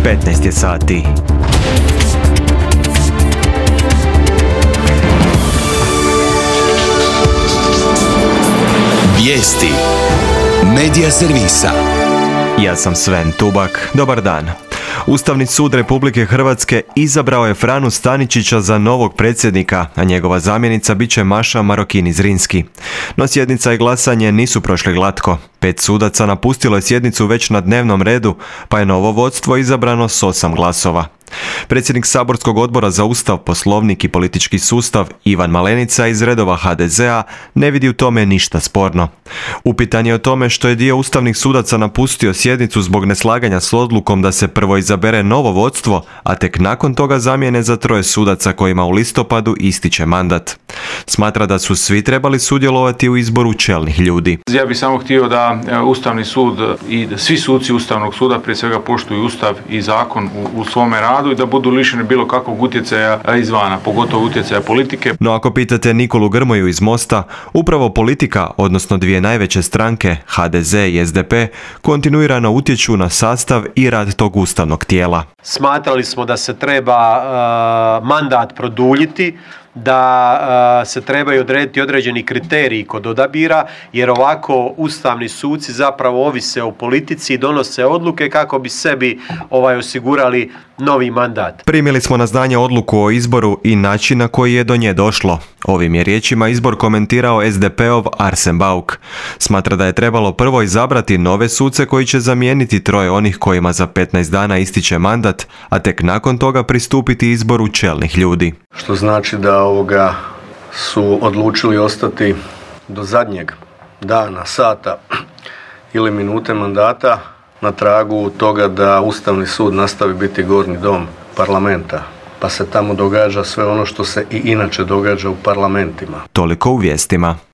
15 je sati. Vijesti Medija servisa. Ja sam Sven Tubak. Dobar dan. Ustavni sud Republike Hrvatske izabrao je Franu Staničića za novog predsjednika, a njegova zamjenica bit će Maša Marokini-Zrinski. No sjednica i glasanje nisu prošli glatko. 5 sudaca napustilo je sjednicu već na dnevnom redu, pa je novo vodstvo izabrano s 8 glasova. Predsjednik saborskog odbora za Ustav, Poslovnik i politički sustav Ivan Malenica iz redova HDZ-a ne vidi u tome ništa sporno. Upitan je o tome što je dio ustavnih sudaca napustio sjednicu zbog neslaganja s odlukom da se prvo izabere novo vodstvo, a tek nakon toga zamijene za 3 sudaca kojima u listopadu ističe mandat. Smatra da su svi trebali sudjelovati u izboru čelnih ljudi. Ja bih samo htio da Ustavni sud i da svi suci Ustavnog suda prije svega poštuju Ustav i zakon u svome radu i da budu lišeni bilo kakvog utjecaja izvana, pogotovo utjecaja politike. No ako pitate Nikolu Grmoju iz Mosta, upravo politika, odnosno dvije najveće stranke, HDZ i SDP, kontinuirano utječu na sastav i rad tog ustavnog tijela. Smatrali smo da se treba mandat produljiti, da se trebaju odrediti određeni kriteriji kod odabira, jer ovako ustavni suci zapravo ovise o politici i donose odluke kako bi sebi osigurali novi mandat. Primili smo na znanje odluku o izboru i način na koji je do nje došlo. Ovim je riječima izbor komentirao SDP-ov Arsen Bauk. Smatra da je trebalo prvo izabrati nove suce koji će zamijeniti 3 onih kojima za 15 dana ističe mandat, a tek nakon toga pristupiti izboru čelnih ljudi. Što znači da su odlučili ostati do zadnjeg dana, sata ili minute mandata na tragu toga da Ustavni sud nastavi biti gornji dom parlamenta, pa se tamo događa sve ono što se i inače događa u parlamentima. Toliko u vijestima.